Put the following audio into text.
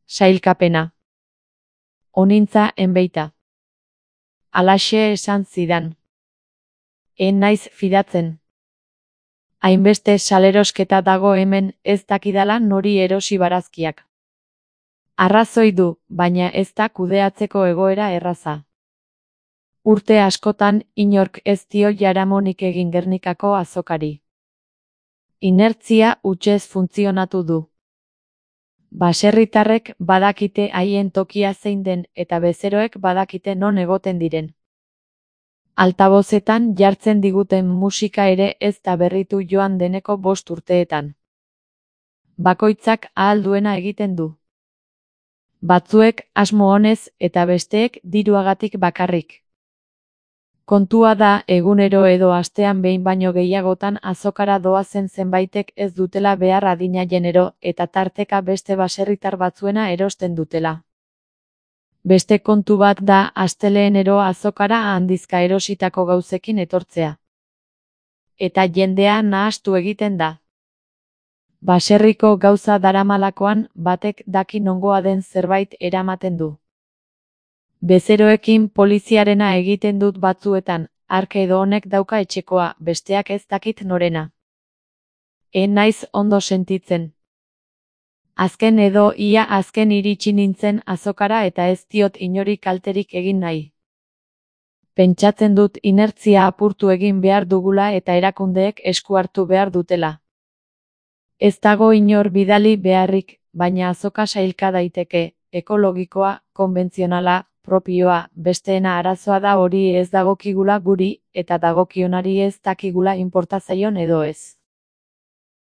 Sailkapena. Onintza enbeita. Alaxe esan zidan. En naiz fidatzen. Hainbeste salerosketa dago hemen, ez dakidala nori erosi barazkiak. Arrazoi du, baina ez da kudeatzeko egoera erraza. Urte askotan inork ez dio jaramonik egin Gernikako azokari. Inertzia hutsez funtzionatu du. Baserritarrek badakite haien tokia zein den eta bezeroek badakite non egoten diren. Altabozetan jartzen diguten musika ere ez da berritu joan deneko 5 urteetan. Bakoitzak ahal duena egiten du. Batzuek asmo onez eta besteek diruagatik bakarrik. Kontua da egunero edo astean behin baino gehiagotan azokara doazen zenbaitek ez dutela behar adina genero eta tarteka beste baserritar batzuena erosten dutela. Beste kontu bat da astelehenero azokara handizka erositako gauzekin etortzea. Eta jendea nahastu egiten da. Baserriko gauza daramalakoan batek daki nongoa den zerbait eramaten du. Bezeroekin poliziarena egiten dut batzuetan, hark edo honek dauka etxekoa, besteak ez dakit norena. Naiz ondo sentitzen. Azken edo ia azken iritsi nintzen azokara eta ez diot inori kalterik egin nahi. Pentsatzen dut inertzia apurtu egin behar dugula eta erakundeek esku hartu behar dutela. Ez dago inor bidali beharrik, baina azoka sailka daiteke, ekologikoa, konbentzionala, propioa, besteena arazoa da hori ez dagokigula guri, eta dagokionari ez dakigula inporta zaion edo ez.